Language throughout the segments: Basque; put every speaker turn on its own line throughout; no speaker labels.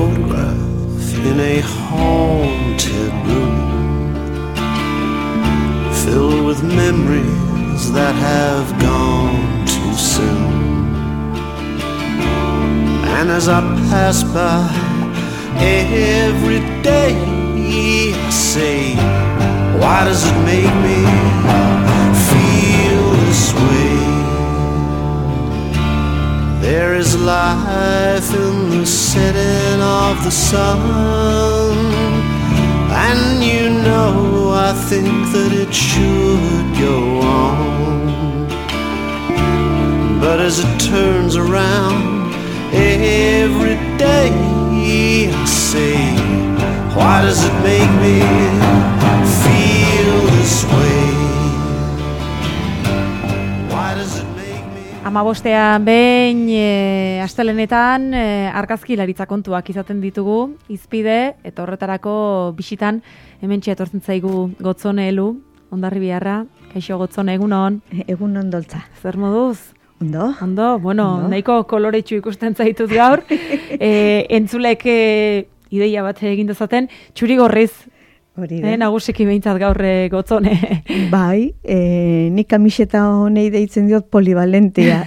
photograph in a haunted room, filled with memories that have gone too soon. And as I pass by every day, I say, why does it make me feel this way? There is life in the setting of the sun, and you know I think that it should go on. But as it turns around every day, I say, why does it make me feel this way? Why does it make me...
Amabostean behin astelenetan argazkilaritza kontuak izaten ditugu, izpide, eta horretarako bisitan hementxe etortzen zaigu Gotzone Elu, Hondarribiarra. Kaixo Gotzone, egunon.
Egunon doltza.
Zer moduz?
Ondo.
Ondo, bueno, ondo. Nahiko koloretsu ikusten zaitut gaur. Entzulek ideia bat egin dezaten, txuri gorriz.
Hori da.
Nagusiki behintzat gaur Gotzone.
Bai, nik kamiseta honei deitzen diot polivalentea.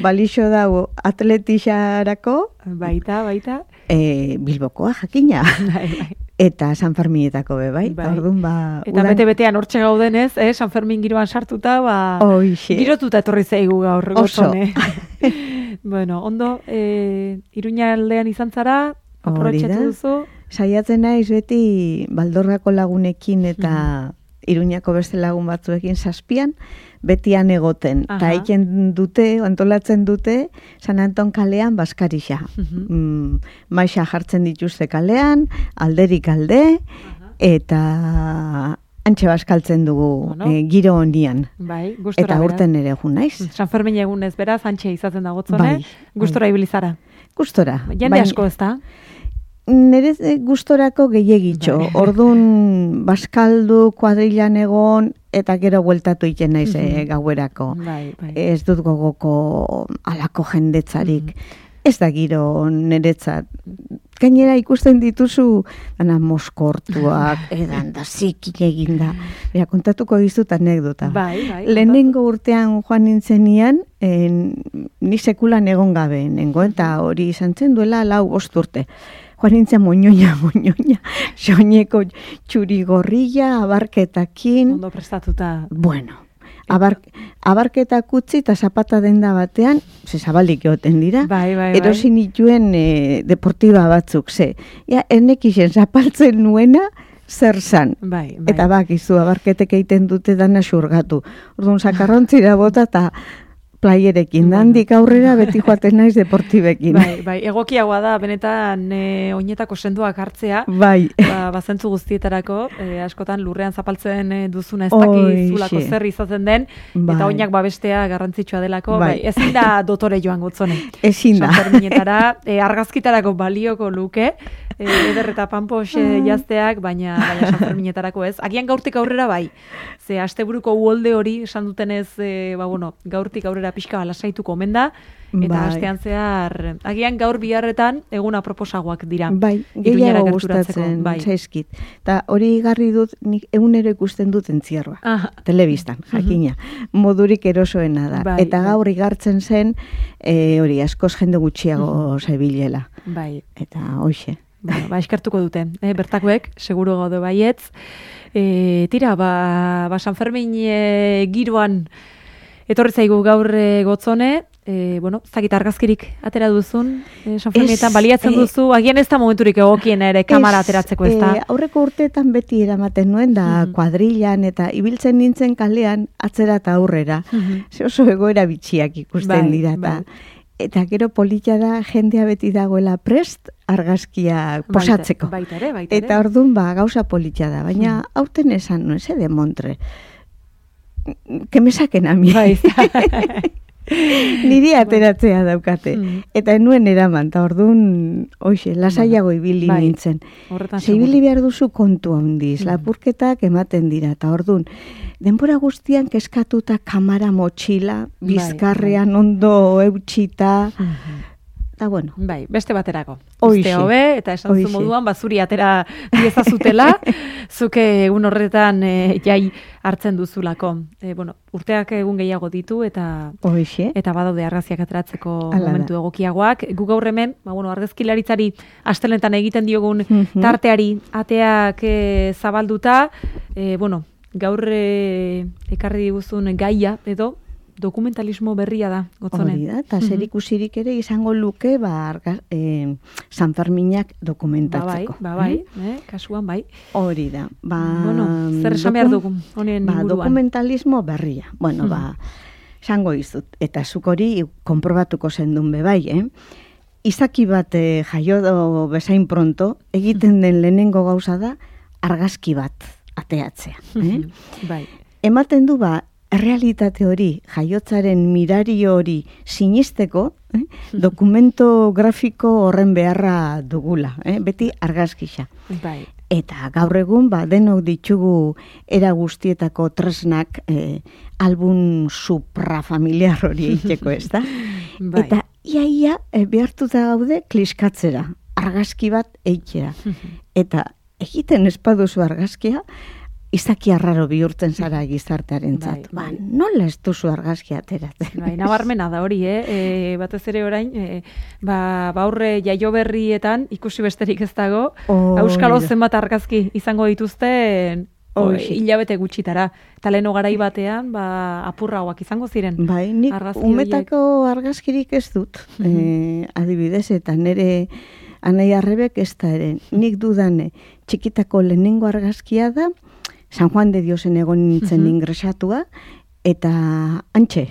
Balixo dago atletixarako.
Baita.
Bilbokoa, jakina.
Bai.
Eta San Ferminetako be, bai. Orduan,
eta bete-betean hortxe gaudenez, San Fermin giroan sartuta, girotuta etorri zaigu gaur, Gotzone. Bueno, ondo, Iruña aldean izan zara, aprobetxatu duzu?
Saiatzen naiz beti Baldorrako lagunekin eta Iruñako beste lagun batzuekin zazpian, betian egoten. Eta egiten dute, antolatzen dute, San Anton kalean Baskarixa. Maixa jartzen dituzte kalean, alderik alde, eta antxe baskaltzen dugu giro honian.
Bai, gustora
eta urten ere egun naiz.
San Fermin egunez beraz, antxe izaten da Gotzone, gustora ibilizara.
Gustora.
Jende asko ez da?
Nere gustorako gehiagitxo. Orduan baskaldu, kuadrilan egon, eta gero bueltatu iten naiz gauerako. Ez dut gogoko alako jendetzarik. Ez da giro niretzat. Gainera ikusten dituzu, dana moskortuak, edan da zikin eginda. Kontatuko dizut anekdota. Lehenengo urtean joan nintzenian, ni sekulan egon gabe nengo, eta hori izan zen duela 4-5 urte. Joan nintzen moñoña, soineko txuri gorrilla, abarketakin.
Ondo prestatuta.
Bueno, abarketak utzi eta zapata denda batean, zabalik egoten dira, erosin nituen deportiba batzuk, ennekixen zapaltzen nuena, zer zan. Eta bakizu, abarketek egiten dute dana xurgatu. Orduan, sakarrontzira bota eta playerekin, dandik aurrera beti joaten naiz deportibekin.
Egokiagoa da, benetan oinetako senduak hartzea, bazentzu guztietarako, askotan lurrean zapaltzen duzuna ez dakizulako zer izaten den, eta oinak babestea garrantzitsua delako, ezin da dotore joan Gotzone.
Ezin da.
San Ferminetará, argazkitarako balioko luke, eder eta panpos jazteak, baina San Ferminetarako ez. Agian gaurtik aurrera bai, ze asteburuko uholde hori esan dutenez, gaurtik aurrera pixka lasaituko omen da, eta astean zehar, agian gaur biharretan eguna proposagoak dira.
Gehiago gustatzen zaizkit. Eta hori garri dut, nik egunero ikusten dut entzierroa. Telebistan, jakina. Modurik erosoena da. Eta gaur igartzen zen, hori askoz jende gutxiago zebilela. Eta hoxe.
Eskertuko dute, bertakoek, seguro gaude baietz. Tira, San Fermin giroan etorri zaigu gaur Gotzone, zakit argazkirik atera duzun, San Ferminetan baliatzen duzu, agian ez da momenturik egokien ere kamera ateratzeko ez da?
Aurreko urteetan beti eramaten nuen da kuadrilan eta ibiltzen nintzen kalean atzera eta aurrera. Oso egoera bitxiak ikusten dira eta gero polita da jendea beti dagoela prest argazkia posatzeko. Eta orduan gauza polita da, baina aurten esan nuen, de Montre. Que me saquen a mi. Niri ateratzea daukate. Eta enuen eraman, eta orduan, lasaiago ibili nintzen. Ibili behar duzu kontu handiz, lapurketak ematen dira, eta orduan, denbora guztian keskatuta kamara motxila, bizkarrean ondo eutxita, eta bueno.
Beste baterako. uste hobe, eta esan zu moduan, zuri atera diezazutela, zuke egun horretan jai hartzen duzulako. Urteak egun gehiago ditu, eta badaude argazkiak ateratzeko momentu egokiagoak. Gu gaur hemen, argazkilaritzari astelenetan egiten diogun tarteari ateak zabalduta, gaur ekarri diguzun gaia edo dokumentalismo berria da, Gotzone.
Hori da, eta zerikusirik ere izango luke San Ferminak dokumentatzeko.
Kasuan bai.
Hori da.
Zer esan behar dugu, honen inguruan?
Dokumentalismo berria. Esango izut, eta zuk hori konprobatuko zendun bebai, izaki bat jaio bezain pronto, egiten den lehenengo gauza da, argazki bat ateatzea. Ematen du errealitate hori, jaiotzaren mirario hori sinisteko, dokumento grafiko horren beharra dugula, beti argazkisa. Eta gaur egun, denok ditugu era guztietako tresnak album suprafamiliar hori eiteko, ez da? Eta ia behartuta gaude kliskatzera, argazki bat eitxera. Eta egiten espaduzu argazkia, izaki arraro bihurtzen zara gizartearen zat. Nola ez duzu argazkia ateratzen?
Nabarmena da hori, batez ere orain, aurre jaio berrietan ikusi besterik ez dago, Euskalo zenbat argazki izango dituzten hilabete gutxitara. Eta leheno garai batean, apurragoak izango ziren.
Nik umetako argazkirik ez dut, adibidez, eta nire Anai Arrebek ez da ere, nik dudane, txikitako lehenengo argazkia da, San Juan de Diosen egon nintzen ingresatua, eta antxe,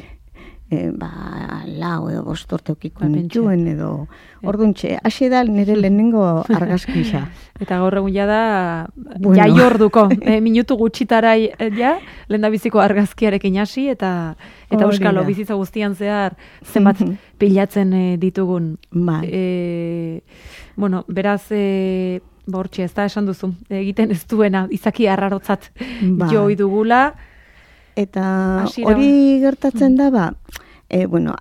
lau edo bostorteukiko nintuen edo orduntxe, hasi da nire lehenengo argazkisa.
Eta gaur egun da, jai orduko, minutu gutxitara lehen da biziko argazkiarekin hasi, eta Euskalo bizitza guztian zehar zenbat pilatzen ditugun. Beraz, bortxe, ez da esan duzu, egiten ez duena, izaki arrarotzat joi dugula.
Eta hori gertatzen da,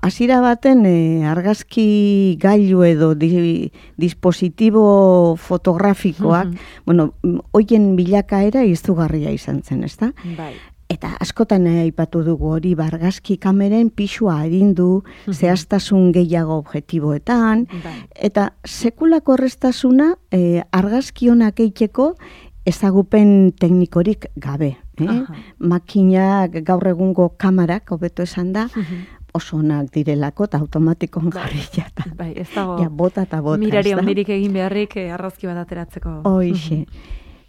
hasiera baten argazki gailu edo dispositibo fotografikoak, hoien bilakaera izugarria izan zen, ez da? Eta askotan aipatu dugu hori argazki kameren pisua arindu, zehaztasun gehiago objektiboetan, eta sekulako errestasuna argazki honak eiteko ezagupen teknikorik gabe. Makinak gaur egungo kamarak, hobeto esan da, oso onak direlako eta automatikon jarria.
Ez dago
bota eta bota.
Mirari ondirik egin beharrik argazki bat ateratzeko.
Hoixe.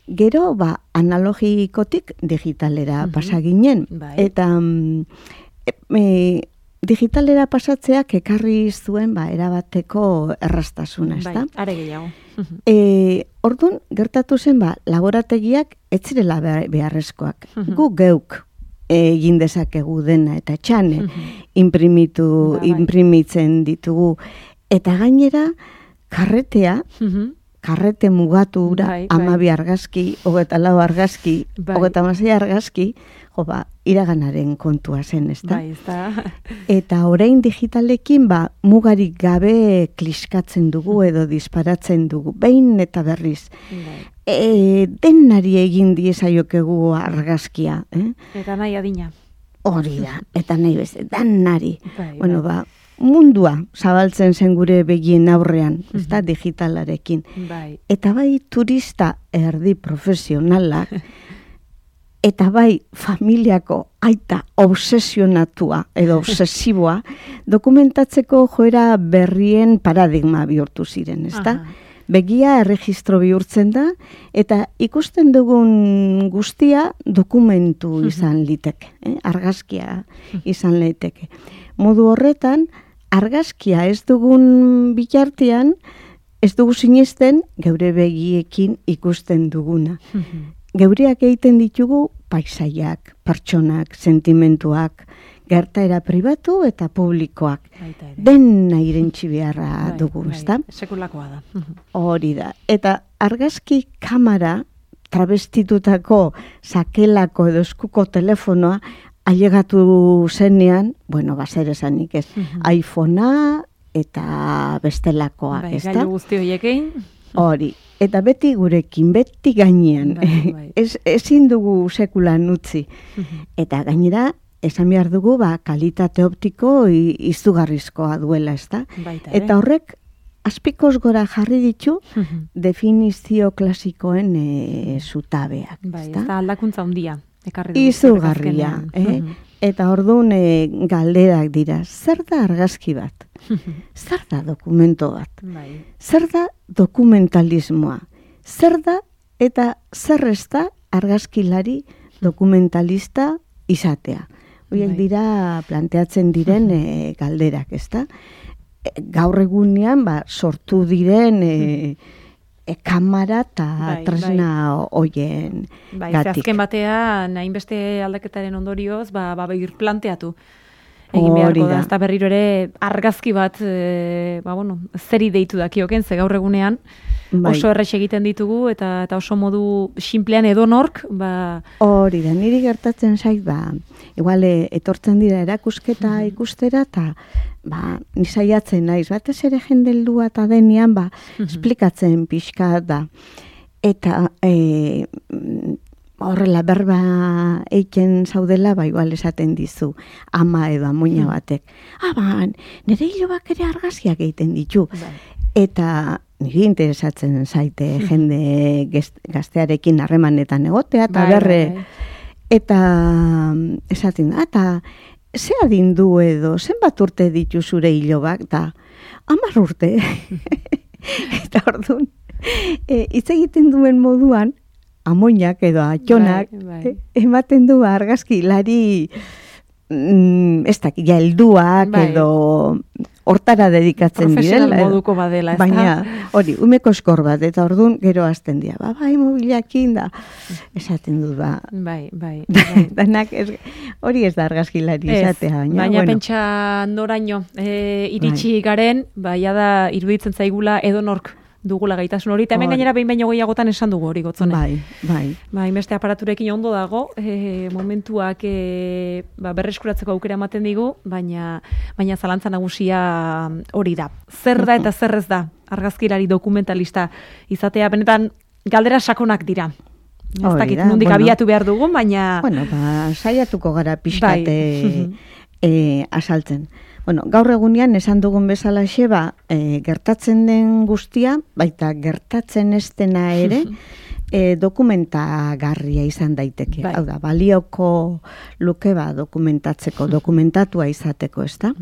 Gero, analogikotik digitalera pasaginen. Eta digitalera pasatzeak ekarri zuen erabateko erraztasuna, ez da?
Are gehiago.
Orduan, gertatu zen, laborategiak ez zirela beharrezkoak. Gu geuk egin dezakegu dena, eta txane imprimitzen ditugu. Eta gainera, karrete mugatu ura, 12 argazki, 24 argazki, 26 argazki, iraganaren kontua zen, ez da? Eta orain digitalekin, mugarik gabe kliskatzen dugu edo disparatzen dugu, behin eta berriz. Denari egin diezaiokegu argazkia.
Eta nahi adina.
Hori da, eta nahi beste, denari. Mundua zabaltzen zen gure begien aurrean, ez da, digitalarekin. Eta turista erdi profesionalak, eta familiako aita obsesionatua edo obsesiboa, dokumentatzeko joera berrien paradigma bihurtu ziren, ez da? Begia erregistro bihurtzen da, eta ikusten dugun guztia dokumentu izan liteke, argazkia izan liteke. Modu horretan, argazkia ez dugun bitartean, ez dugu sinesten geure begiekin ikusten duguna. Geureak egiten ditugu paisaiak, pertsonak, sentimentuak, gertaera pribatu eta publikoak. Dena irentsi beharra dugu, ez da?
Sekulakoa da.
Hori da. Eta argazki kamera trabestitutako sakelako edo eskuko telefonoa ailegatu zenean, zer esanik ez, iPhonea eta bestelakoak, ezta?
Gailu guzti horiekin.
Hori, eta beti gurekin, beti gainean, ezin dugu sekulan utzi. Eta gainera, esan behar dugu, kalitate optiko izugarrizkoa duela, ezta? Eta horrek, azpikoz gora jarri ditu definizio klasikoen zutabeak.
Ez da aldakuntza handia.
Izugarria. Eta orduan galderak dira, zer da argazki bat? Zer da dokumento bat? Zer da dokumentalismoa? Zer da eta zer ez da argazkilari dokumentalista izatea? Horiek dira planteatzen diren galderak, ez da? Gaur egunean sortu diren kamara eta tresna hoien gatik.
Azken batean, hainbeste aldaketaren ondorioz, birplanteatu egin beharko da. Ez da berriro ere argazki bat, zeri deitu dakioken, ze gaur egunean, oso errex egiten ditugu, eta oso modu sinplean edonork,
Hori da, niri gertatzen zait, igual etortzen dira erakusketa ikustera, eta nisaiatzen naiz, batez ere jendeldua eta denean, esplikatzen pixka da. Eta horrela berba eiken zaudela, igual esaten dizu, ama edo amoina batek. Nire hilobak ere argazkiak egiten ditu. Eta niri interesatzen zaite jende gaztearekin harremanetan egotea, eta eta esaten da, eta ze adin du edo, zenbat urte ditu zure hilobak, eta 10 urte. Eta orduan, hitz egiten duen moduan, amoinak edo atxonak, ematen du argazkilari ez dakit, helduak edo hortara dedikatzen direla.
Profesional moduko badela, ez da?
Baina, hori, umeko eskor bat, eta orduan gero azten dira. Mobilakin da, esaten dut, Danak, hori ez da argazkilari izatea.
Baina pentsa noraino, iritsi garen, da iruditzen zaigula edonork dugula gaitasun hori, eta hemen gainera behin baino gehiagotan esan dugu hori gotzone. Beste aparaturekin ondo dago, momentuak berreskuratzeko aukera ematen digu, baina zalantza nagusia hori da. Zer da eta zer ez da argazkilari dokumentalista izatea, benetan galdera sakonak dira. Ez dakit nondik abiatu behar dugun, baina...
Saiatuko gara pixkate asaltzen. Gaur egunean esan dugun bezala gertatzen den guztia, baita gertatzen ez dena ere, dokumentagarria izan daiteke. Hau da, balioko luke dokumentatzeko, dokumentatua izateko, ez da?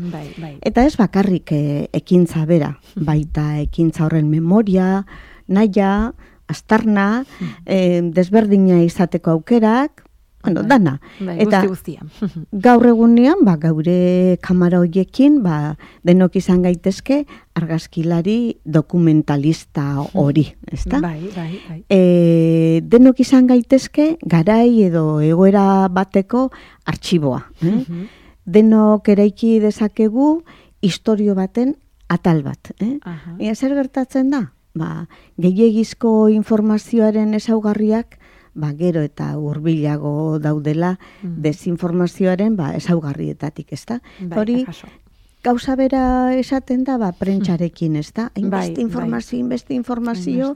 Eta ez bakarrik ekintza bera, baita ekintza horren memoria, naia, astarna, desberdina izateko aukerak, dana. Eta gaur egunean, gaure kamara horiekin, denok izan gaitezke argazkilari dokumentalista hori, ezta? Denok izan gaitezke garai edo egoera bateko artxiboa. Denok eraiki dezakegu istorio baten atal bat. Zer gertatzen da? Gehiegizko informazioaren ezaugarriak gero eta hurbilago daudela desinformazioaren ezaugarrietatik, ezta? Hori gauza bera esaten da prentsarekin, ezta? Inbeste informazio,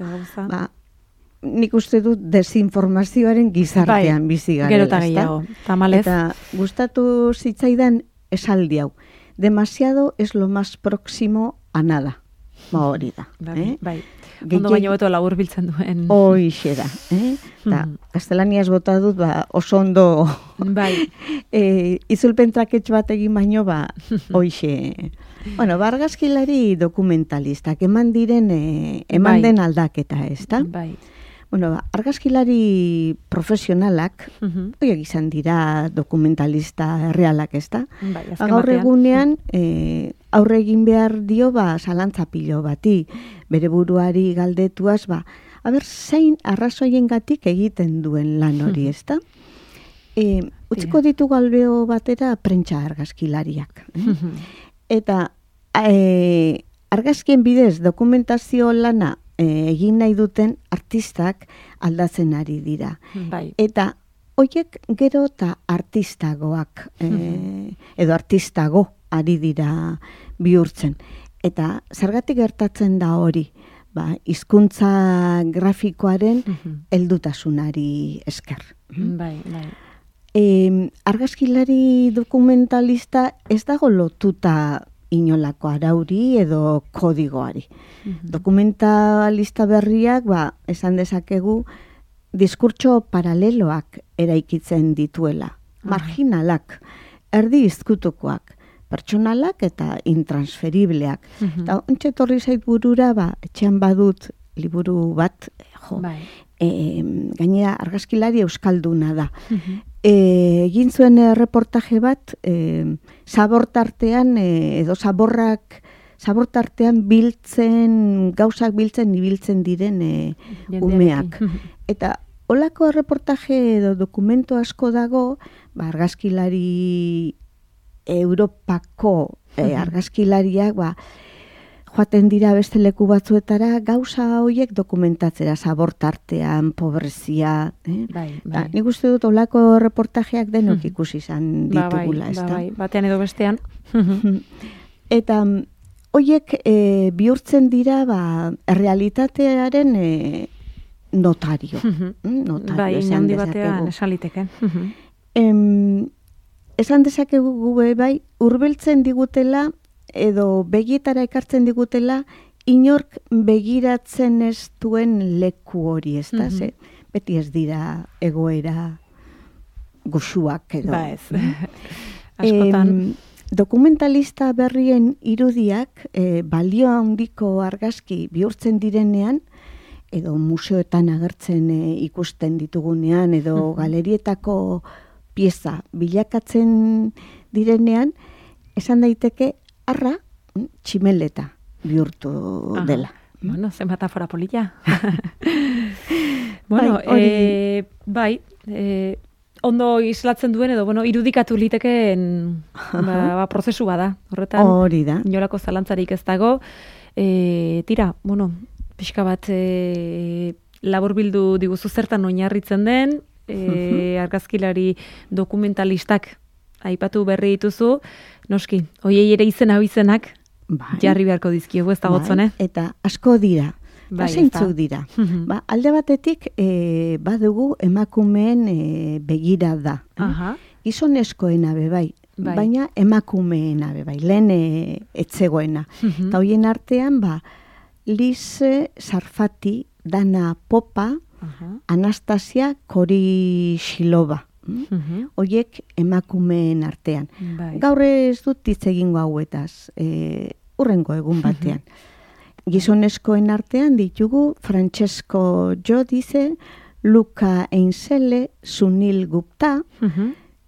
nik uste dut desinformazioaren gizartean bizi garela,
gero eta gehiago, tamalez.
Eta gustatu zitzaidan esaldi hau, demasiado es lo más próximo a nada. Hori da.
Ondo baino beto labur biltzen duen.
Hoixe da. Gaztelaniaz bota dut, oso ondo izulpen traketx bat egin baino, hoixe. Argazkilari dokumentalistak, eman den aldaketa, ez da? Argazkilari profesionalak, horiek izan dira dokumentalista realak, ez da? Gaur egunean, aurre egin behar dio, zalantza pilo bati, bere buruari galdetuaz, zein arrazoiengatik egiten duen lan hori, ez da? Utziko ditugu albeo batera prentsa argazkilariak. Eta argazkien bidez dokumentazio lana egin nahi duten artistak aldatzen ari dira. Eta horiek gero eta artistagoak, edo artistago ari dira bihurtzen. Eta zergatik gertatzen da hori? Hizkuntza grafikoaren heldutasunari esker.
Bai.
Argazkilari dokumentalista ez dago lotuta inolako arauri edo kodigoari. Dokumentalista berriak, esan dezakegu, diskurtso paraleloak eraikitzen dituela. Marginalak, erdi izkutukoak, pertsonalak eta intransferibleak. Eta ontsa etorri zait burura, etxean badut liburu bat, gainera argazkilari euskalduna da. Egin zuen reportaje bat, zabortartean edo zabortartean gauzak ibiltzen diren umeak. Eta holako reportaje edo dokumento asko dago, argazkilari Europako argazkilariak joaten dira beste leku batzuetara gauza horiek dokumentatzera, zabortartean, pobrezia. Nik uste dut olako reportajeak denok ikusi izan ditugula.
Batean edo bestean.
Eta horiek bihurtzen dira realitatearen notario.
Bai, handi batean esan liteke.
Esan dezakegu hurbiltzen digutela edo begietara ekartzen digutela inork begiratzen ez duen leku hori, ez da? Beti ez dira egoera goxuak edo.
Ez. Askotan.
Dokumentalista berrien irudiak balio handiko argazki bihurtzen direnean, edo museoetan agertzen ikusten ditugunean, edo galerietako pieza bilakatzen direnean, esan daiteke arra tximeleta bihurtu dela.
Bueno, zen metafora polilla. Bueno, ondo islatzen duen edo, irudikatu litekeen prozesu bada. Horretan,
hori da.
Inolako zalantzarik ez dago. Tira, pixka bat laburbildu diguzu zertan oinarritzen den, argazkilari dokumentalistak aipatu berri dituzu, noski, hoiei ere izenak jarri beharko dizkiegu, ez da gotzone?
Eta asko dira, zeintzuk dira. Alde batetik badugu emakumeen begirada. Gizonezkoena bebai, baina emakumeena bebai, lehen etzegoena. Eta hoien artean, Lise Sarfati, Dana Popa, Anastasia Korishilova. Hoiek emakumeen artean. Gaur ez dut hitz egingo hauetaz, hurrengo egun batean. Gizonezkoen artean ditugu Francesco Giudice, Luca Einsele, Sunil Gupta,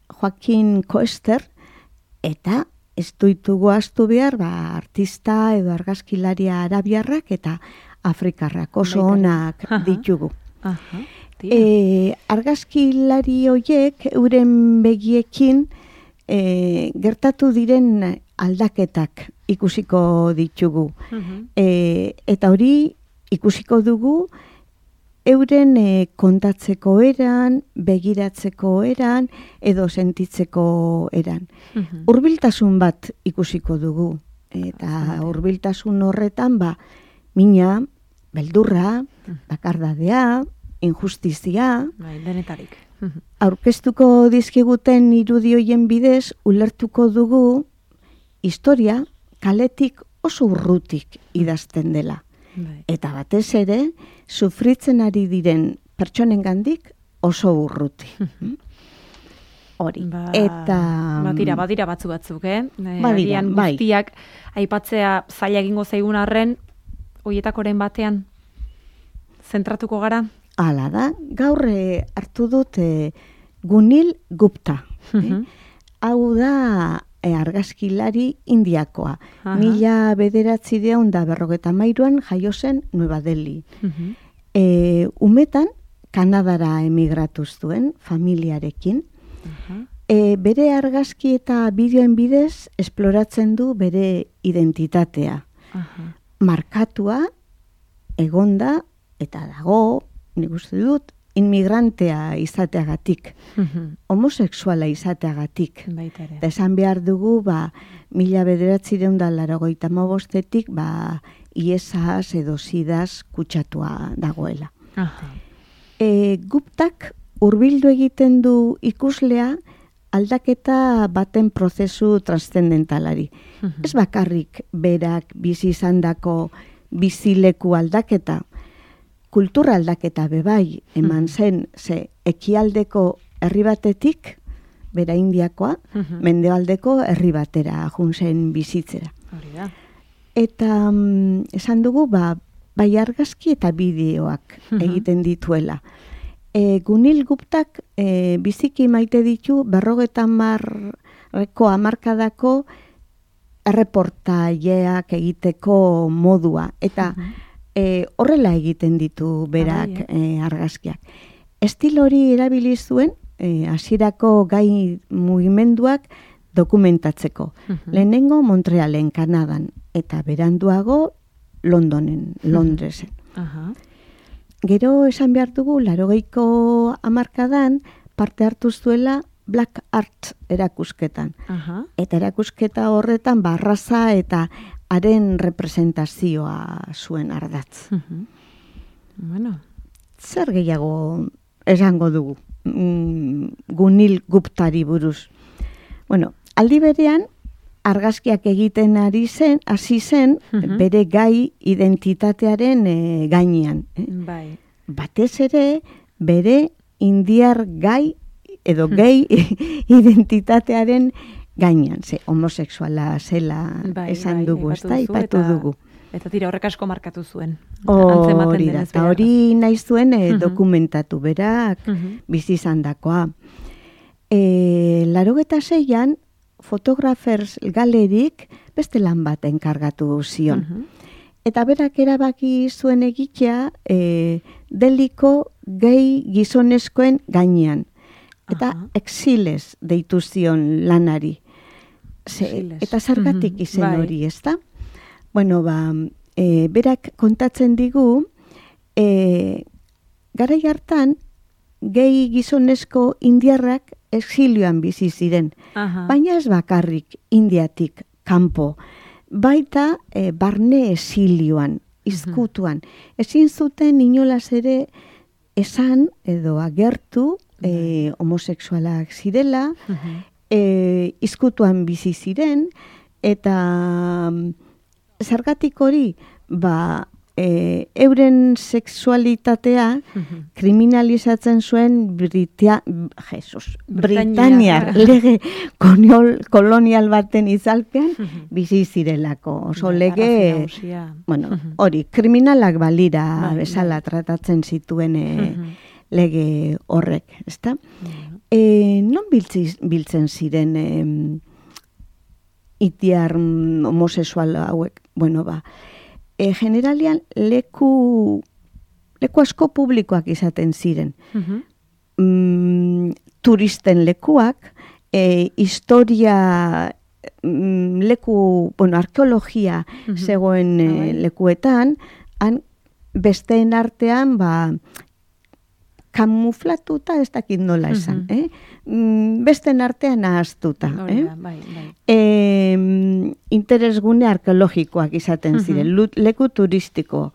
Joaquin Koester, eta ez ditugu ahaztu behar, artista edo argazkilaria arabiarrak eta afrikarrak oso onak ditugu. Argazkilari horiek euren begiekin gertatu diren aldaketak ikusiko ditugu. Eta hori ikusiko dugu euren kontatzeko eran, begiratzeko eran, edo sentitzeko eran. Hurbiltasun bat ikusiko dugu. Eta hurbiltasun horretan, mina, beldurra, bakardadea, injustizia,
denetarik.
Aurkeztuko dizkiguten irudioien bidez, ulertuko dugu historia kaletik oso urrutik idazten dela. Eta batez ere, sufritzen ari diren pertsonengandik oso urruti. Hori.
Badira batzuk, Agian guztiak aipatzea zaila egingo zaigun arren, hoietakoren batean zentratuko gara?
Hala da, gaur hartu dut Gunil Gupta. Hau da argazkilari indiakoa. 1953an jaio zen Nueva Delhi. Umetan Kanadara emigratu zuen familiarekin. Bere argazki eta bideoen bidez esploratzen du bere identitatea. Markatua, egonda eta dago, nik uste dut, inmigrantea izateagatik, homosexuala izateagatik. Eta esan behar dugu, 1985 ISAs edo SIDAs kutsatua dagoela. Guptak hurbildu egiten du ikuslea aldaketa baten prozesu transcendentalari. Ez bakarrik berak bizi izandako bizileku aldaketa, kultura aldaketa bebai eman zen, ze ekialdeko herri batetik, bera Indiakoa, mendebaldeko herri batera junzen bizitzera. Eta esan dugu, bai argazki eta bideoak egiten dituela. Gunil Guptak biziki maite ditu 50 hamarkadako erreportaileak egiteko modua. Eta horrela egiten ditu berak argazkiak. Estilo hori erabili zuen hasierako gai mugimenduak dokumentatzeko. Lehenengo Montrealen, Kanadan, eta beranduago Londresen. Gero esan behar dugu, 80ko hamarkadan parte hartu zuela Black Art erakusketan. Eta erakusketa horretan barraza eta haren representazioa zuen ardatz. Zer gehiago esango dugu Gunil Guptari buruz? Aldi berean, argazkiak egiten hasi zen bere gai identitatearen gainean. Batez ere, bere indiar gai edo gehi identitatearen gainean. Homosexuala zela esan dugu, ez da, ipatu dugu.
Eta tira horrek asko markatu zuen.
Hori da, eta hori nahi zuen dokumentatu berak bizi izandakoa. 86an Photographers Galerik beste lan bat enkargatu zion. Eta berak erabaki zuen egitea deliko gehi gizonezkoen gainean. Eta exiles deitu zion lanari. Eta zergatik izen hori, ez da? Berak kontatzen digu, garai hartan, gehi gizonezko indiarrak exilioan bizi ziren. Baina ez bakarrik Indiatik kanpo. Baita barne exilioan, izkutuan. Ezin zuten inolaz ere esan edo agertu homosexualak zirela, izkutuan bizi ziren, eta zergatik hori, euren sexualitatea kriminalizatzen zuen Britaniar lege kolonial baten izalpean bizi zirelako. Oso lege, hori, kriminalak balira bezala tratatzen zituen lege horrek, ezta? Non biltzen ziren itiar homosexual hauek? Generalian leku asko publikoak izaten ziren. Turisten lekuak, historia leku, arkeologia zegoen lekuetan, besteen artean, kamuflatuta ez dakit nola esan. Besteen artean ahaztuta. Interesgune arkeologikoak izaten ziren, leku turistikoak.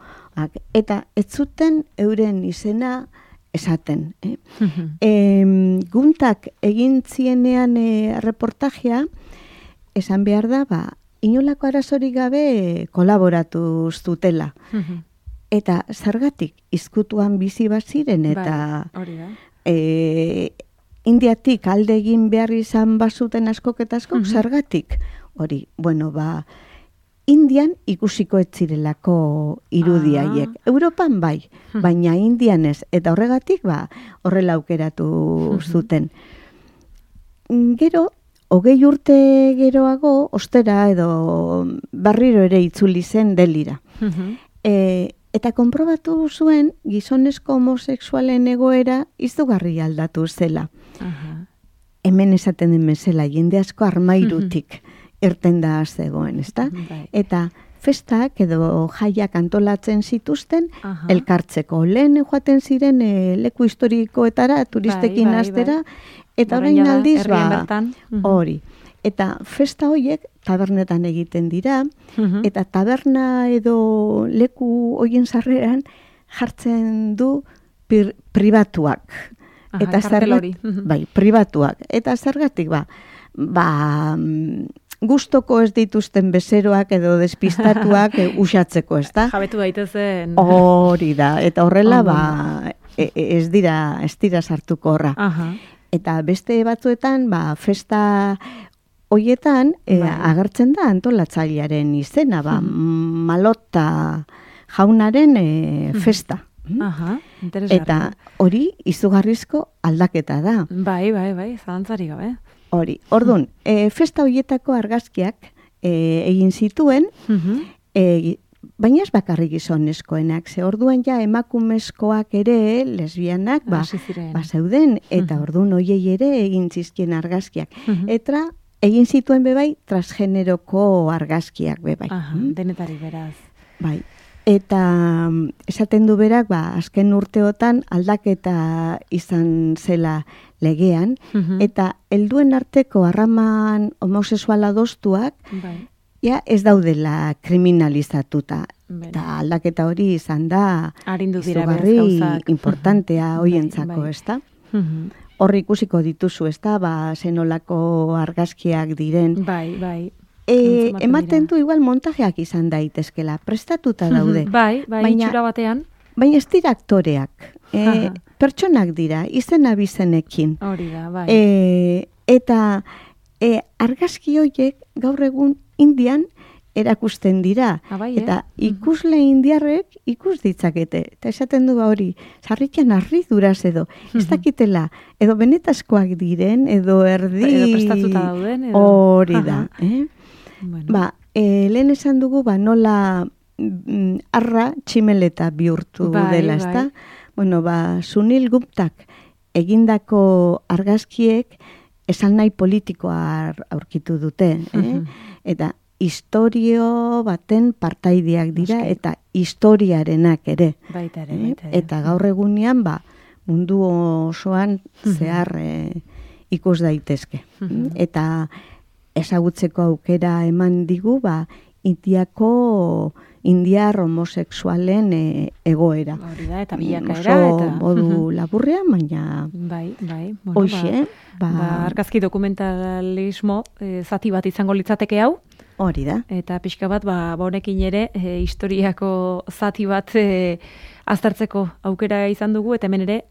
Eta ez zuten euren izena esaten. Guntak egin zienean reportajea, esan behar da, inolako arazorik gabe kolaboratu zutela. Eta zergatik izkutuan bizi baziren eta Indiatik alde egin behar izan bazuten askok eta askok, zergatik hori, Indian ikusiko ez zirelako irudiaiek. Europan bai, baina Indian ez. Eta horregatik horrela aukeratu zuten. Gero, 20 urte geroago, ostera edo barriro ere itzuli zen Delira. Eta konprobatu zuen gizonezko homosexualen egoera izugarri aldatu zela. Hemen esaten den bezala, jende asko armairutik irten da zegoen, ezta? Eta festak edo jaiak antolatzen zituzten elkartzeko. Lehen joaten ziren leku historikoetara, turistekin astera, eta orain aldiz hori. Eta festa horiek tabernetan egiten dira, eta taberna edo leku horien sarreran jartzen du pribatuak. Eta bai, pribatuak. Eta zergatik gustoko ez dituzten bezeroak edo despistatuak usatzeko, ez da?
Jabetu daitezen.
Hori da, eta horrela ez dira sartuko horra. Eta beste batzuetan, festa hoietan agertzen da antolatzailearen izena, Malota jaunaren festa. Eta hori izugarrizko aldaketa da.
Bai, zalantzari gabe.
Hori, orduan, festa horietako argazkiak egin zituen, baina ez bakarrik gizonezkoenak, ze orduan ja emakumezkoak ere, lesbianak, zeuden, eta orduan hoiei ere egin zizkien argazkiak. Eta egin zituen bebai transgeneroko argazkiak bebai.
Denetari beraz.
Bai. Eta esaten du berak, azken urteotan aldaketa izan zela legean, eta helduen arteko harraman homosexuala doztuak, ez daudela kriminalizatuta. Eta aldaketa hori izan da izugarri importantea hoientzako, ez da? Horri ikusiko dituzu, ez da, zenolako argazkiak diren.
Bai.
Ematen du igual montajeak izan daitezkela, prestatuta daude.
Bai, itxura batean.
Baina ez dira aktoreak, pertsonak dira, izena bizenekin.
Hori da, bai.
Eta argazki horiek gaur egun Indian erakusten dira. Eta ikusle indiarrek ikus ditzakete. Eta esaten du hori, sarrikian harriduraz edo, ez dakitela, edo benetazkoak diren, edo erdi...
Edo prestatuta dauden.
Hori da. Lehen esan dugu, nola arra tximeleta bihurtu dela, ez da? Sunil Guptak egindako argazkiek esan nahi politikoa aurkitu dute. Eta historio baten partaideak dira, eta historiarenak ere.
Baita.
Eta gaur egunean, mundu osoan zehar ikus daitezke. Eta ezagutzeko aukera eman digu, indiar homosexualen egoera.
Hori da, eta bilakaera.
Oso modu laburrean, baina...
Bai.
Hoxe,
argazki dokumentalismo zati bat izango litzateke hau.
Hori da.
Eta pixka bat, honekin ere, historiako zati bat aztertzeko aukera izan dugu, eta hemen ere,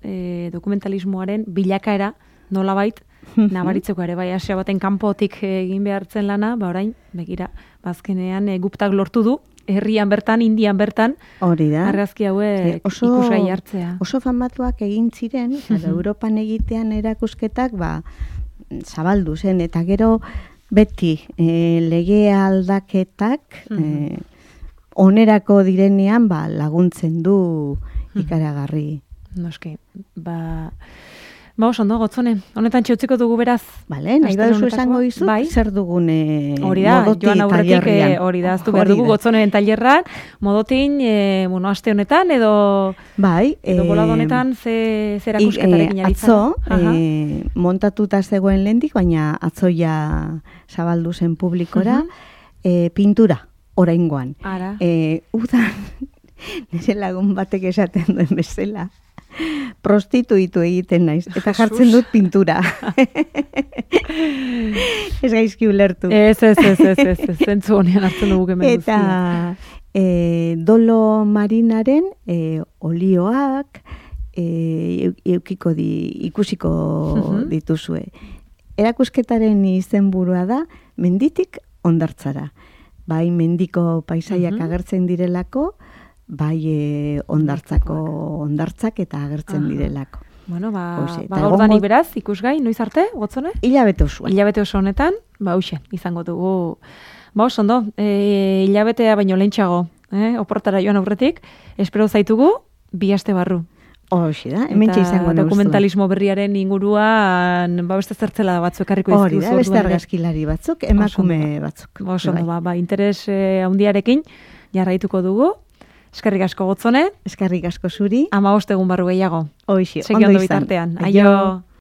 dokumentalismoaren bilakaera nolabait, nabaritzeko ere, asia baten kanpotik egin behartzen lana, orain, begira, bazkenean Guptak lortu du, herrian bertan, Indian bertan,
hori da.
Argazki hauek ikusgai hartzea.
Oso famatuak egin ziren, Europan egitean erakusketak, zabaldu zen, eta gero beti lege aldaketak onerako direnean laguntzen du ikaragarri.
Noski, oso ondo, Gotzone, honetan txutziko dugu beraz.
Bale, nahi baduzu esango izut, zer dugun
modoti tailerrean. Hori da, aztu behar dugu Gotzoneren tailerran, modotin, aste honetan, edo bolado honetan, zer erakusketarekin
atzo, montatuta zegoen lehendik, baina atzoia zabaldu zen publikora, pintura, oraingoan. Udan, nire lagun batek esaten duen bezala, prostituitu egiten naiz, eta jartzen dut pintura. Ez gaizki ulertu.
Ez, zentzu honean hartzen dugu hemen guztia.
Eta dolo marinaren olioak ikusiko dituzue. Erakusketaren izenburua da menditik hondartzara. Bai mendiko paisaiak agertzen direlako, bai hondartzak eta agertzen direlako.
Bueno, gaurdanik beraz, ikusgai, noiz arte, Gotzone?
Hilabete osoan.
Hilabete oso honetan, izango dugu. Oso ondo, hilabetea baino lehentxago, oportara joan aurretik, espero zaitugu, 2 aste barru.
Hoxe da, hementxe izango nauztua.
Dokumentalismo berriaren inguruan, beste zertzela batzuk ekarriko izkizu.
Hori da, beste argazkilari batzuk, emakume batzuk.
Oso ondo, interes handiarekin jarraituko dugu. Eskerrik asko Gotzone.
Eskerrik asko zuri.
15 egun barru gehiago.
Hoxe,
ondo izan. Bitartean. Aio.